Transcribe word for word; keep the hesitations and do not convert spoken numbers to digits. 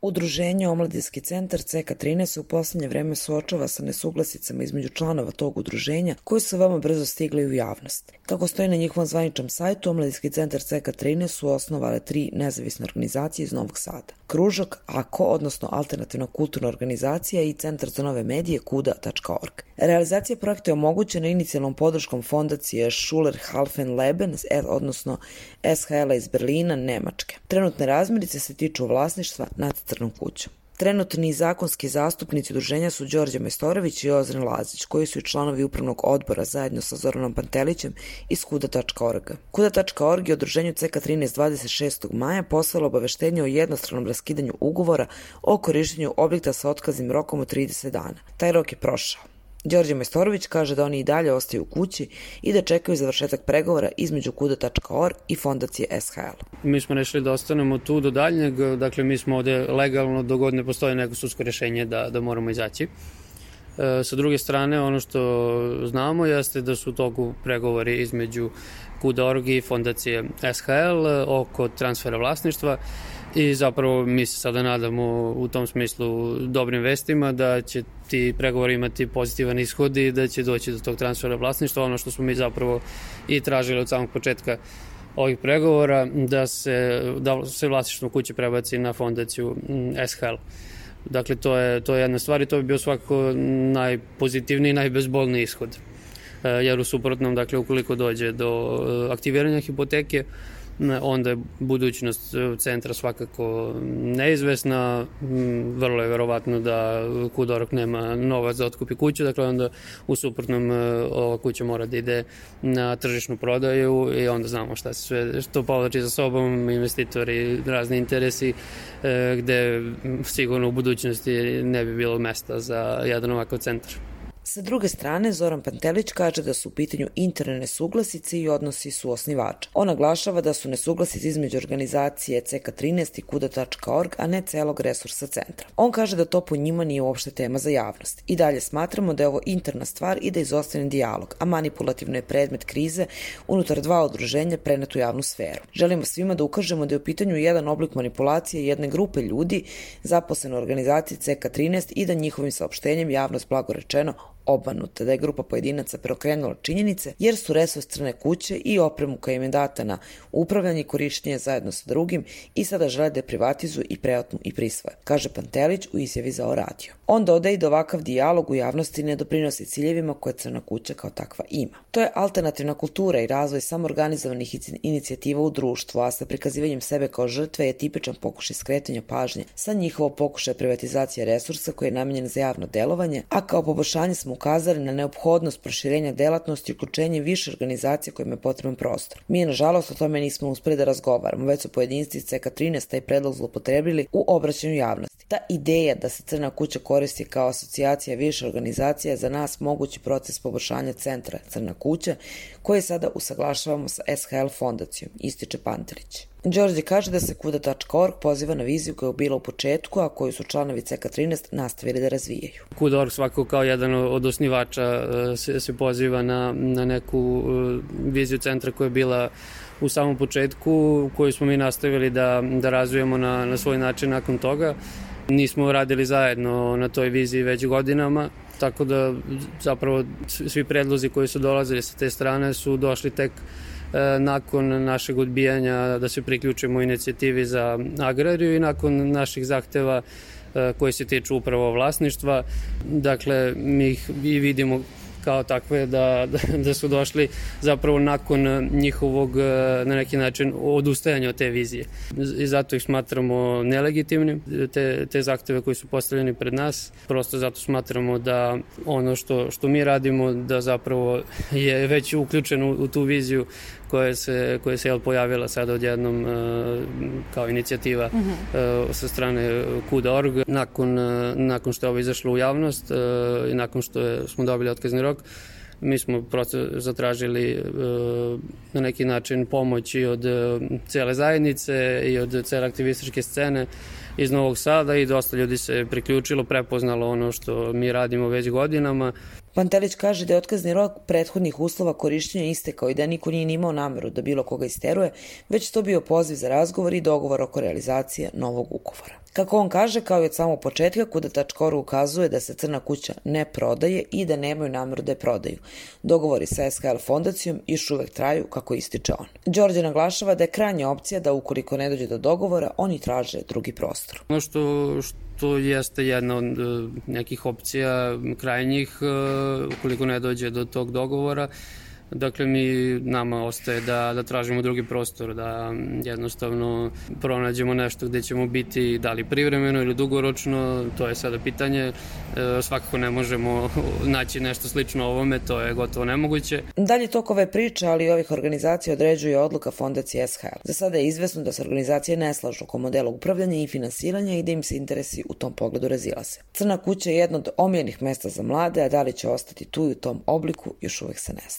Udruženje Omladinski centar C K trinaest se u poslednje vreme suočava sa nesuglasicama između članova tog udruženja koji su veoma brzo stigli u javnost. Kako stoji na njihovom zvaničnom sajtu, Omladinski centar C K trinaest su osnovale tri nezavisne organizacije iz Novog Sada. Kružok, A K O, odnosno Alternativna kulturna organizacija i Centar za nove medije kuda tačka org. Realizacija projekta je omogućena inicijalnom podrškom fondacije Schuler-Halfen-Leben, odnosno S H L-a iz Berlina, Nemačke. Trenutne razmirice se tiču vlasništva nad Crnom kućom. Trenutni zakonski zastupnici udruženja su Đorđe Majstorović i Ozren Lazić, koji su i članovi upravnog odbora zajedno sa Zoranom Pantelićem iz kuda tačka org. kuda tačka org je udruženju C K trinaest dvadeset šestog maja poslalo obaveštenje o jednostranom raskidanju ugovora o korištenju objekta sa otkaznim rokom od trideset dana. Taj rok je prošao. Đorđe Majstorović kaže da oni i dalje ostaju u kući i da čekaju završetak pregovora između kuda tačka org i fondacije S H L. Mi smo rešili da ostanemo tu do daljnjeg, dakle mi smo ovde legalno dok god ne postoji neko sudsko rešenje da, da moramo izaći. E, sa druge strane, ono što znamo jeste da su u toku pregovori između kuda tačka org i fondacije S H L oko transfera vlasništva. I zapravo mi se sada nadamo u tom smislu dobrim vestima da će ti pregovori imati pozitivan ishod i da će doći do tog transfera vlasništva, ono što smo mi zapravo i tražili od samog početka ovih pregovora, da se, da se vlasništvo kuće prebaci na fondaciju S H L. Dakle, to je, to je jedna stvar i to bi bio svakako najpozitivniji i najbezbolniji ishod. Jer u suprotnom, dakle, ukoliko dođe do aktiviranja hipoteke, onda je budućnost centra svakako neizvesna, vrlo je verovatno da kuda tačka org nema novac da otkupi kuću, dakle onda u suprotnom ova kuća mora da ide na tržišnu prodaju i onda znamo šta se sve, što povlači za sobom investitori, razni interesi, gde sigurno u budućnosti ne bi bilo mesta za jedan ovakav centar. Sa druge strane, Zoran Pantelić kaže da su u pitanju interne nesuglasice i odnosi su osnivača. On naglašava da su nesuglasice između organizacije C K trinaest i kuda tačka org, a ne celog resursa centra. On kaže da to po njima nije uopšte tema za javnost. I dalje smatramo da je ovo interna stvar i da je izostavljen dijalog, a manipulativno je predmet krize unutar dva udruženja prenet u javnu sferu. Želimo svima da ukažemo da je u pitanju jedan oblik manipulacije jedne grupe ljudi zaposlene u organizaciji C K trinaest i da njihovim saopštenjem javnost blagorečeno obmanuta, da je grupa pojedinaca preokrenula činjenice jer su resurs Crne kuće i opremu koja im je data na upravljanje i korištenje zajedno sa drugim i sada žele da je privatizuju i preotmu i prisvoje, kaže Pantelić u izjavi za O radio. On dodaje da ovakav dijalog u javnosti ne doprinosi ciljevima koje Crna kuća kao takva ima. To je alternativna kultura i razvoj samoorganizovanih inicijativa u društvu, a sa prikazivanjem sebe kao žrtve je tipičan pokušaj skretanja pažnje sa njihovo pokušaja privatizacije resursa koji je namenjen za javno delovanje, a kao poboljšanje smo ukazali na neophodnost proširenja delatnosti i uključenje više organizacija kojima je potreban prostor. Mi, nažalost, o tome nismo uspeli da razgovaramo, već su pojedinci iz C K trinaest taj predlog zloupotrebili u obraćanju javnosti. Ta ideja da se Crna kuća koristi kao asocijacija više organizacija je za nas mogući proces poboljšanja centra Crna kuća, koji sada usaglašavamo sa S H L fondacijom, ističe Pantelić. Đorđe kaže da se kuda tačka org poziva na viziju koja je bila u početku, a koju su članovi C K trinaest nastavili da razvijaju. kuda tačka org svakako kao jedan od osnivača se, se poziva na, na neku viziju centra koja je bila u samom početku, koju smo mi nastavili da, da razvijemo na, na svoj način nakon toga. Nismo radili zajedno na toj viziji već godinama, tako da zapravo svi predlozi koji su dolazili sa te strane su došli tek nakon našeg odbijanja da se priključimo inicijativi za agrariju i nakon naših zahteva koji se tiču upravo vlasništva. Dakle, mi ih i vidimo kao takve da, da su došli zapravo nakon njihovog na neki način odustajanja od te vizije. I zato ih smatramo nelegitimnim, te, te zahteve koji su postavljeni pred nas. Prosto zato smatramo da ono što, što mi radimo da zapravo je već uključeno u, u tu viziju koja se, koja se jel, pojavila sada odjednom uh, kao inicijativa uh, sa strane kuda tačka org. Nakon, uh, nakon što je ovo izašlo u javnost uh, i nakon što je, smo dobili otkazni rok, mi smo prosto zatražili uh, na neki način pomoć i od uh, cele zajednice i od cele aktivističke scene iz Novog Sada i dosta ljudi se priključilo, prepoznalo ono što mi radimo već godinama. Pantelić kaže da je otkazni rok prethodnih uslova korišćenja istekao i da niko nije imao nameru da bilo koga isteruje, već to bio poziv za razgovor i dogovor oko realizacije novog ugovora. Kako on kaže, kao i od samog početka, kuda tačka org ukazuje da se Crna kuća ne prodaje i da nemaju nameru da je prodaju. Dogovori sa es ka el fondacijom još uvek traju, kako ističe on. Đorđe naglašava da je krajnja opcija da ukoliko ne dođe do dogovora, oni traže drugi prostor. Ono što, što jeste jedna od nekih opcija krajnjih, ukoliko ne dođe do tog dogovora, dakle, mi nama ostaje da, da tražimo drugi prostor, da jednostavno pronađemo nešto gde ćemo biti, da li privremeno ili dugoročno, to je sada pitanje. E, svakako ne možemo naći nešto slično ovome, to je gotovo nemoguće. Dalje tok ove priče, ali i ovih organizacija određuje odluka fondacije es ha el. Za sada je izvesno da se organizacije ne slažu oko modela upravljanja i finansiranja i da im se interesi u tom pogledu razilaze. Crna kuća je jedno od omiljenih mesta za mlade, a da li će ostati tu i u tom obliku još uvek se ne zna.